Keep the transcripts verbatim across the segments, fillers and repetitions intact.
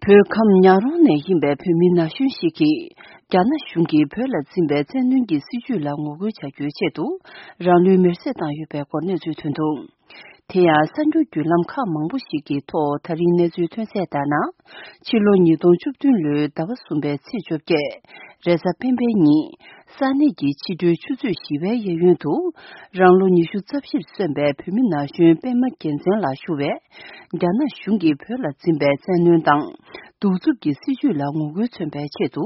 བོད་ཁམས་ཉག་རོང་ནས་ཡིན་པའི་བོད་མི་ན་གཞོན་ཞིག་གིས། རྒྱ་ནག་གཞུང་གིས་བོད་ལ་འཛིན་པའི་བཙན་གནོན་གྱི་སྲིད་བྱུས་ལ་ངོ་རྒོལ་བྱ་རྒྱུའི་ཆེད་དུ། རང་ལུས་མེར་སྲེག་བཏང་ཡོད་པའི་སྐོར་གནས་ཚུལ་ཐོན་འདུག་དེ་ཡང་གསར་འགྱུར་བརྒྱུད་ལམ་ཁག་མང་པོ་ཞིག་གི་ཐོག་ད་རིང་གནས་ཚུལ་ཐོན་གསལ་ལྟར་ན། ཕྱི་ལོ་ཉིས་སྟོང་བཅུ་བདུན་ལོའི་ཟླ་བ་གསུམ་པའི་ཚེས་བཅོ་བརྒྱད། རེས་གཟའ་སྤེན་པའི་ཉིན། ས་གནས་ཀྱི་ཕྱི་དྲོའི་ཆུ་ཚོད་བཞི་པའི་གཡས་གཡོན་དུ། རང་ལོ་ཉི་ཤུ་རྩ་བཞིར་སོན་པའི་བོད་མི་ན་གཞོན་པད་མ་རྒྱལ་མཚན་ལགས་ཞུ་བས། རྒྱ་ནག་གཞུང་གིས་བོད་ལ་འཛིན་པའི་བཙན་གནོན་དང་། གདུག་རྩུབ་ཀྱི་སྲིད་བྱུས་ལ་ངོ་རྒོལ་མཚོན་པའི་ཆེད་དུ།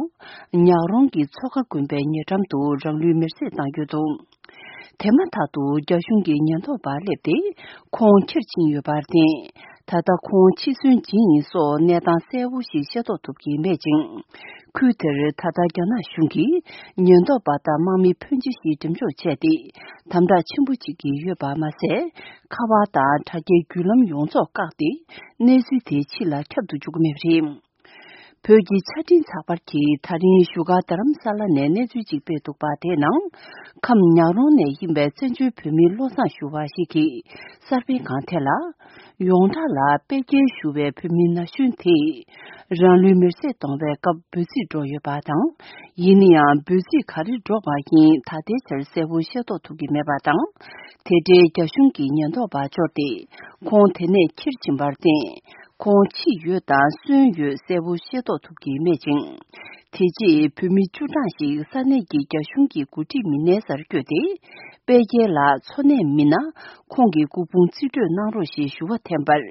ཉག་རོང་གི་མཚོ་ཁ་དགོན་པའི་ཉེ་འགྲམ་དུ་རང་ལུས་མེར་སྲེག་བཏང་ཡོད་འདུག་དེ་མ་ཐག་ཏུ་རྒྱ་གཞུང་གི་ཉེན་རྟོག་པ་སླེབས་ཏེ། ཁོང་ཁྱེར་ཕྱིན་ཡོད་པར་བརྟེན། ད་ལྟ་ཁོང་འཆི་གསོན་ཇི་ཡིན་སོགས་གནས་སྟངས་གསལ་བོ་ཞིག་ཤེས་རྟོགས་ཐུབ་ཀྱི་མེད་ཅིང་། ཁུལ་དེར་ད་ལྟ་རྒྱ་ནག་གཞུང་གིས་ཉེན་རྟོག་པ་དང་དམག་མི་ཕོན་ཆེ་ཞིག་འགྲེམས་འཇོག་བྱས་ཏེ། དམ་དྲག་ཆེན་པོ་བྱེད་ཀྱི་ཡོད་པ་མ་ཟད། ཁ་པར་དང་དྲ་རྒྱའི་བརྒྱུད་ལམ་ཡོངས་རྫོགས་བཀག་སྟེ། གནས་ཚུལ་དེ་ཕྱི་ལ་ཁྱབ་ཏུ་འཇུག་གི་མེད་པ་རེད། བོད་ཀྱི་ཆ་འཕྲིན་ཚགས་པར་གྱིས་ད་རིང་བཞུགས་སྒར་རྡ་རམ་ས་ལ་ནས་གནས་ཚུལ་ཅིག་སྤེལ་འདུག་པ། དེའི་ནང་། ཁམས་ཉག་རོང་ནས་ཡིན་པའི་བཙན་བྱོལ་བོད་མི་བློ་བཟང་ཞུ་བ་ཞིག་གིས་གསར་སྤེལ་ཁང་དེ་ལ། ཡོངས་གྲགས་ལ་དཔལ་རྒྱལ་ཞུ་བའི་བོད་མི་ན་གཞོན་དེས། རང་ལུས་མེར་སྲེག་གཏོང་བའི་སྐབས་འབོད་ཚིག་འགྲོ་ཡོད་པ་དང་། ཡིན་ན་ཡང་འབོད་ཚིག་ག་རེ་འགྲོ་བ་ཡིན་ད་ལྟའི་ཆར་གསལ་པོ་ཤེས་རྟོགས་ཐུབ་ཀྱི་མེད་པ་དང་། དེ་འབྲེལ་རྒྱ་གཞུང་གི་ཉེན་རྟོག་པ་འབྱོར་ཏེ། ཁོང་དེ་ནས་ཁྱེར་ཕྱིན་པར་བརྟེན། ཁོང་འཆི་ཡོད་དང་གསོན་ཡོད་གསལ་པོ་ཤེས་རྟོགས་ཐུབ་ཀྱི་མེད་ཅིང་། དེ་རྗེས་བོད་མི་བཅུ་གྲངས་ཤིག་ས་གནས་ཀྱི་རྒྱ་གཞུང་གི་འགོ་ཁྲིད་མི་སྣའི་སར་བསྐྱོད་དེ། དཔལ་རྒྱལ་ལགས་འཚོ་གནས་མིན་ན། ཁོང་གི་སྐུ་ཕུང་རྩིས་སྤྲོད་གནང་རོགས་ཞེས་ཞུ་བ་འཐེན་པར།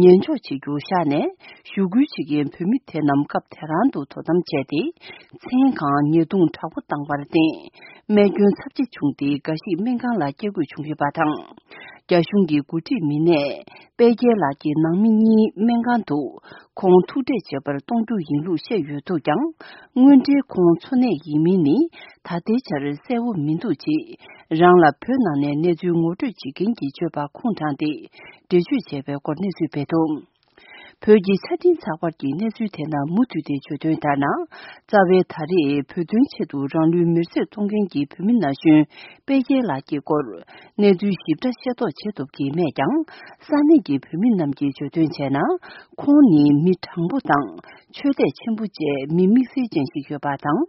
ཉན་འཇོག་བྱེད་རྒྱུ་བཞག་ནས། ཞུ་སྐུལ་བྱེད་མཁན་བོད་མི་དེ་རྣམས་སྐབས་དེ་རང་དུ་དོ་དམ་བྱས་ཏེ། མཚན་གང་ཉེས་རྡུང་དྲག་པོ་བཏང་བར་བརྟེན། རྨས་སྐྱོན་ཚབས་ཆེ་བྱུང་སྟེ། འགའ་ཞིག་སྨན་ཁང་ལ་སྐྱེལ་དགོས་བྱུང་ཡོད་པ་དང་། རྒྱ་གཞུང་གི་འགོ་ཁྲིད་མི་སྣས། དཔལ་རྒྱལ་ལགས་ཀྱི་ནང་མི་གཉིས་སྨན་ཁང་དུ། ཁོང་ཐུག་འཕྲད་བྱེད་པར་གཏོང་རྒྱུ་ཡིན་ལུགས་བཤད་ཡོད་འདུག་ཀྱང་། དངོས་འབྲེལ་ཁོང་འཚོ་གནས་ཡིན་མིན་ནི། ད་ལྟའི་ཆར་གསལ་བོ་མི་འདུག་ཅེས། རང་ལ་བོད་ནང་ནས་གནས་ཚུལ་ངོ་སྤྲོད་བྱེད་མཁན་གྱི་སྤྱོད་པ་ཁུངས་དྲངས་ཏེ། འགྲེལ་བརྗོད་བྱས་པའི་སྐོར་གནས་ཚུལ་སྤེལ་འདུག་བོད་ཀྱི་ཆ་འཕྲིན་ཚགས་པར་གྱི་གནས་ཚུལ་དེ་ནང་མུ་མཐུད་དེ་བརྗོད་དོན་ལྟར་ན། རྩ་བའི་ད་རེས་བོད་དོན་ཆེད་དུ་རང་ལུས་མེར་སྲེག་གཏོང་མཁན་གྱི་བོད་མི་ན་གཞོན་དཔལ་རྒྱལ་ལགས་ཀྱི་སྐོར། གནས་ཚུལ་ཞིབ་ཕྲ་ཤེས་རྟོགས་བྱེད་ཐུབ་ཀྱི་མེད་ཀྱང་། ས་གནས་ཀྱི་བོད་མི་རྣམས་ཀྱིས་བརྗོད་དོན་བྱས་ན། ཁོང་ནི་མི་དྲང་པོ་དང་། ཆོས་དད་ཆེན་པོ་བཅས་མི་དམིགས་བསལ་ཅན་ཞིག་ཡོད་པ་དང་།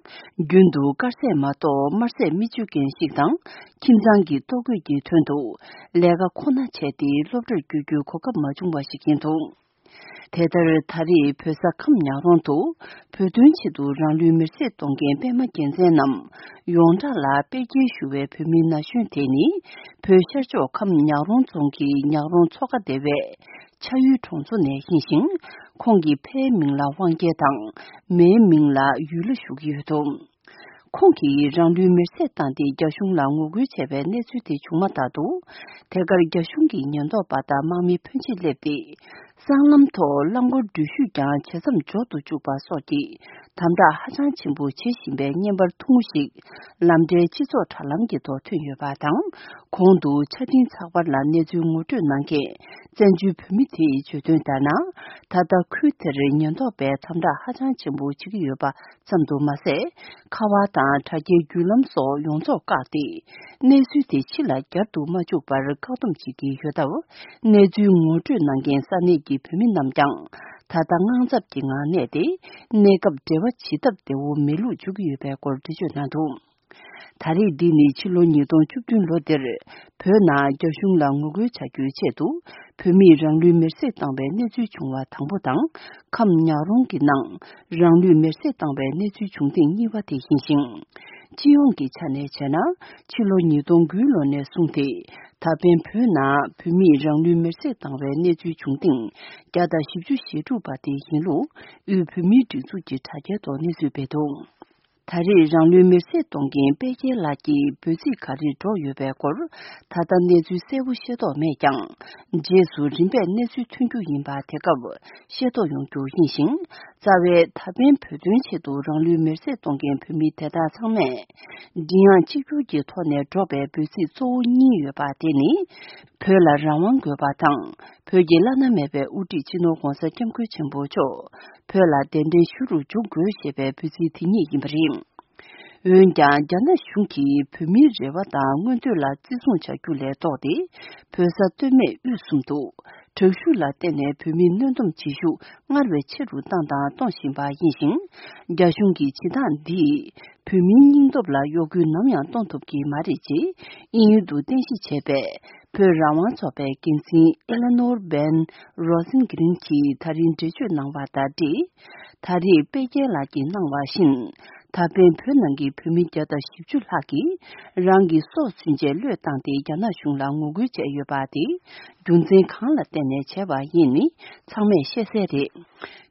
རྒྱུན་དུ་དཀར་ཟས་མ་གཏོགས་དམར་ཟས་མི་སྤྱོད་མཁན་ཞིག་དང་། ཁྱིམ་ཚང་གི་ལྟོ་གོས་ཀྱི་དོན་དུ། ལས་ཀ་ཁོ་ན་བྱས་ཏེ་སློབ་གྲྭར་བསྐྱོད་རྒྱུའི་གོ་སྐབས་མ་བྱུང་བ་ཞིག་ཡིན་འདུག་དེ་ལྟར་ད་རེས་བོད་ས་ཁམས་ཉག་རོང་དུ་བོད་དོན་ཆེད་དུ་རང་ལུས་མེར་སྲེག་གཏོང་མཁན་པད་མ་རྒྱལ་མཚན་རྣམས་ཡོངས་གྲགས་ལ་དཔལ་རྒྱལ་ཞུ་བའི་བོད་མི་ན་གཞོན་དེ་ནི་བོད་ཤར་ཕྱོགས་ཁམས་ཉག་རོང་རྫོང་གི་ཉག་རོང་མཚོ་ཁ་སྡེ་བའི་ཆ་ཡུལ་གྲོང་ཚོ་ནས་ཡིན་ཞིང་། ཁོང་གི་ཕའི་མིང་ལ་དབང་རྒྱལ་དང་མའི་མིང་ལ་ཡུལ་ལྷ་ཞུ་གི་ཡོད་འདུག་ཁོང་གིས་རང་ལུས་མེར་སྲེག་བཏང་སྟེ་རྒྱ་གཞུང་ལ་ངོ་རྒོལ་བྱས་པའི་གནས་ཚུལ་དེ་བྱུང་མ་ཐག་ཏུ། དེ་གར་རྒྱ་གཞུང་གི་ཉེན་རྟོག་པ་དང་དམག་མི་ཕོན་ཆེ་སླེབས་ཏེ། སྲང་ལམ་ཐོག་རླངས་འཁོར་འགྲུལ་བཞུད་ཀྱང་ཇེ་མཚམས་འཇོག་ཏུ་བཅུག་པ་སོགས་ཀྱི་དམ་དྲག་ཧ་ཅང་ཆེན་པོ་བྱེད་བཞིན་པའི་བརྙན་པར་ཐུང་ངུ་ཞིག་ལམ་འབྲས་སྤྱི་ཚོགས་དྲ་ལམ་གྱི་ཐོག་ཐོན་ཡོད་པ་དང་། གོང་དུ་ཆ་འཕྲིན་ཚགས་པར་ལ་གནས་ཚུལ་ངོ་སྤྲོད་གནང་མཁན་བཙན་བྱོལ་བོད་མི་དེས་བརྗོད་དོན་ལྟར་ན། ད་ལྟ་ཁུལ་དེར་ཉེན་རྟོག་པས་དམ་དྲག་ཧ་ཅང་ཆེན་པོ་བྱེད་ཀྱི་ཡོད་པ། ཙམ་དུ་མ་ཟད། ཁ་པར་དང་དྲ་རྒྱའི་བརྒྱུད་ལམ་སོགས་ཡོངས་རྫོགས་བཀག་སྟེ། གནས་ཚུལ་དེ་ཕྱི་ལ་བསྐྱར་དུ་མ་འཇུག་པར་བཀག་སྡོམ་བྱེད་ཀྱི་ཡོད་སྟབས། གནས་ཚུལ་ངོ་སྤྲོད་གནང་མཁན་ས་གནས་ཀྱི་བོད་མི་རྣམས་ཀྱང་། ད་ལྟ་དངངས་འཚབ་ཀྱི་ངང་གནས་ཏེ། གནས་སྐབས་འབྲེལ་བ་བྱེད་ཐབས་བདེ་བོ་མེད་ལུགས་བརྗོད་ཀྱི་ཡོད་པའི་སྐོར་འགྲེལ་བརྗོད་གནང་འདུག་ད་རེས་འདི་ནི་ཕྱི་ལོ་ཉིས་སྟོང་བཅུ་བདུན་ལོ་འདིར། བོད་ནང་རྒྱ་གཞུང་ལ་ངོ་རྒོལ་བྱ་རྒྱུའི་ཆེད་དུ། བོད་མིས་རང་ལུས་མེར་སྲེག་བཏང་བའི་གནས་ཚུལ་བྱུང་བ་དང་པོ་དང་། ཁམས་ཉག་རོང་གི་ནང་རང་ལུས་མེར་སྲེག་བཏང་བའི་གནས་ཚུལ་བྱུང་ཐེངས་གཉིས་པ་དེ་ཡིན་ཞིང་། སྤྱི་ཡོངས་ཀྱི་ཆ་ནས་བྱས་ན། ཕྱི་ལོ་ཉིས་སྟོང་དགུ་ལོ་ནས་བཟུང་སྟེ། ད་ཕན་བོད་ནང་བོད་མིས་རང་ལུས་མེར་སྲེག་བཏང་བའི་གནས་ཚུལ་བྱུང་ཐེངས་བརྒྱ་དང་བཞི་བཅུ་ཞེ་དྲུག་པ་དེ་ཡིན་ལུགས། དབུས་བོད་མིའི་སྒྲིག་འཛུགས་ཀྱི་དྲ་རྒྱའི་ཐོག་གནས་ཚུལ་སྤེལ་འདུག་ད་རེས་རང་ལུས་མེར་སྲེག་གཏོང་མཁན་དཔལ་རྒྱལ་ལགས་ཀྱི་འབོད་ཚིག་ག་རེ་སྒྲོག་ཡོད་པའི་སྐོར། ད་ལྟ་གནས་ཚུལ་གསལ་པོ་ཤེས་རྟོགས་མེད་ཀྱང་། རྗེས་སུ་རིམ་པས་གནས་ཚུལ་ཐོན་རྒྱུ་ཡིན་པ། དེ་སྐབས་ཤེས་རྟོགས་ཡོང་རྒྱུ་ཡིན་ཞིང་། རྩ་བའི་ད་ཕན་བོད་དོན་ཆེད་དུ་རང་ལུས་མེར་སྲེག་གཏོང་མཁན་བོད་མི་དེ་དག་ཚང་མས། མགྲིན་དབྱངས་གཅིག་གྱུར་གྱི་ཐོག་ནས་སྒྲོག་པའི་འབོད་ཚིག་གཙོ་བོ་གཉིས་ཡོད་པ། དེ་ནི། བོད་ལ་རང་དབང་དགོས་པ་དང་། བོད་ཀྱི་བླ་ན་མེད་པའི་དབུ་ཁྲིད་སྤྱི་ནོར་༧གོང་ས་༧སྐྱབས་མགོན་ཆེན་པོ་མཆོག་བོད་ལ་གདན་འདྲེན་ཞུ་རུ་འཇུག་དགོས་ཞེས་པའི་འབོད་ཚིག་དེ་གཉིས་ཡིན་པ་རེད། འོན་ཀྱང་། རྒྱ་ནག་གཞུང་གིས་བོད་མིའི་རེ་བ་དང་མངོན་འདོད་ལ་བརྩི་སྲུང་བྱ་རྒྱུ་ལས་ལྡོག་སྟེ། བོད་ས་སྟོད་སྨད་དབུས་གསུམ་དུ། དྲག་ཤུགས་ལ་བརྟེན་ནས་བོད་མིའི་གནོན་སྡོམ་བྱེད་ཤུགས་སྔར་བས་ཆེ་རུ་བཏང་དང་གཏོང་བཞིན་པ་ཡིན་ཞིང་། རྒྱ་གཞུང་གི་བྱེད་སྟངས་འདིས་བོད་མིའི་སྙིང་སྟོབས་ལ་གཡོ་འགུལ་ནམ་ཡང་གཏོང་ཐུབ་ཀྱི་མ་རེད་ཅེས་དབྱིན་ཡུལ་དུ་རྟེན་གཞི་བྱས་པའི་བོད་རང་དབང་ཚོགས་པའི་འགན་འཛིན་ཨེ་ལེ་ནོར་བན་རོ་སིན་གི་རིན་གྱིས་ད་རིང་འགྲེལ་བརྗོད་གནང་བ་དང་འབྲེལ། ད་རེས་དཔལ་རྒྱལ་ལགས་ཀྱིས་གནང་བ་བཞིན། ད་ཕན་བོད་ནང་གི་བོད་མི་བརྒྱ་དང་བཞི་བཅུ་ལྷག་གིས་རང་གི་སྲོག་ཚུན་ཆད་བློས་བཏང་སྟེ་རྒྱ་ནག་གཞུང་ལ་ངོ་རྒོལ་བྱས་ཡོད་པ་དེ་རྒྱུ་མཚན་གང་ལ་བརྟེན་ནས་བྱས་པ་ཡིན་མིན་ཚང་མས་ཤེས་གསལ་རེད།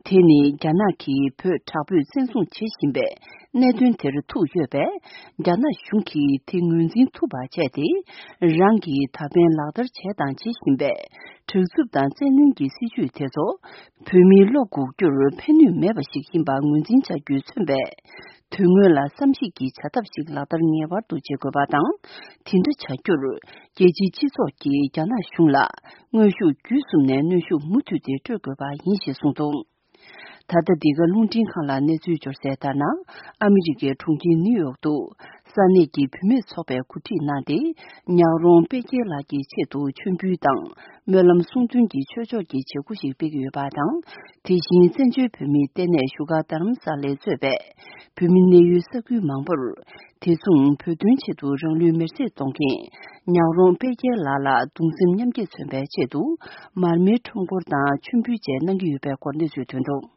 དེ་ནི་རྒྱ་ནག་གིས་བོད་དྲག་པོས་བཙན་བཟུང་བྱེད་བཞིན་པའི་གནད་དོན་དེར་ཐུག་ཡོད་པས། རྒྱ་ནག་གཞུང་གིས་དེ་ངོས་འཛིན་ཐུབ་པ་བྱས་ཏེ། རང་གིས་ད་ཕན་ལག་བསྟར་བྱས་དང་བྱེད་བཞིན་པའི་དྲག་རྩུབ་དང་བཙན་གནོན་གྱི་སྲིད་བྱུས་དེ་ཚོ་བོད་མིའི་བློ་འགུག་རྒྱུར་ཕན་ནུས་མེད་པ་ཞིག་ཡིན་པ་ངོས་འཛིན་བྱ་རྒྱུས་མཚོན་པའི་དོན་དངོས་ལ་བསམ་གཞིག་གི་བྱ་ཐབས་ཤིག་ལག་བསྟར་ངེས་པར་དུ་བྱེད་དགོས་པ་དང་། དེ་འདྲ་བྱ་རྒྱུར་རྒྱལ་སྤྱིའི་སྤྱི་ཚོགས་ཀྱིས་རྒྱ་ནག་གཞུང་ལ་དངོས་ཤུགས་བརྒྱུད་གསུམ་ནས་གནོན་ཤུགས་མུ་མཐུད་དེ་སྤྲོད་དགོས་པ་ཡིན་ཞེས་གསུངས་འདུག། ད་ལྟ་འདི་ག་རླུང་འཕྲིན་ཁང་ལ་གནས་ཚུལ་འབྱོར་གསལ་ལྟར་ན། ཨ་མི་རི་ཀའི་གྲོང་ཁྱེར་ནིའུ་ཡོག་ཏུ་ས་གནས་ཀྱི་བུད་མེད་ཚོགས་པས་གོ་སྒྲིག་གནང་སྟེ། ཉག་རོང་དཔལ་རྒྱལ་ལགས་ཀྱི་ཆེད་དུ་མཆོད་འབུལ་དང་སྨོན་ལམ་གསུང་འདོན་གྱི་ཆོས་ཕྱོགས་ཀྱི་བྱེད་སྒོ་ཞིག་སྤེལ་གྱི་ཡོད་པ་དང་། དེ་བཞིན་བཙན་བྱོལ་བོད་མིའི་ལྟེ་གནས་བཞུགས་སྒར་རྡ་རམ་ས་ལས་གཙོས་པའི་བོད་མི་གནས་ཡུལ་ས་ཁུལ་མང་པོར། དེ་མཚུངས་བོད་དོན་ཆེད་དུ་རང་ལུས་མེར་སྲེག་གཏོང་མཁན་ཉག་རོང་དཔལ་རྒྱལ་ལགས་ལ་གདུང་སེམས་མཉམ་སྐྱེད་མཚོན་པའི་ཆེད་དུ་མར་མེའི་ཁྲོམ་སྐོར་དང་མཆོད་འབུལ་བཅས་གནང་གི་ཡོད་པའི་སྐོར་གནས་ཚུལ་ཐོན་འདུག།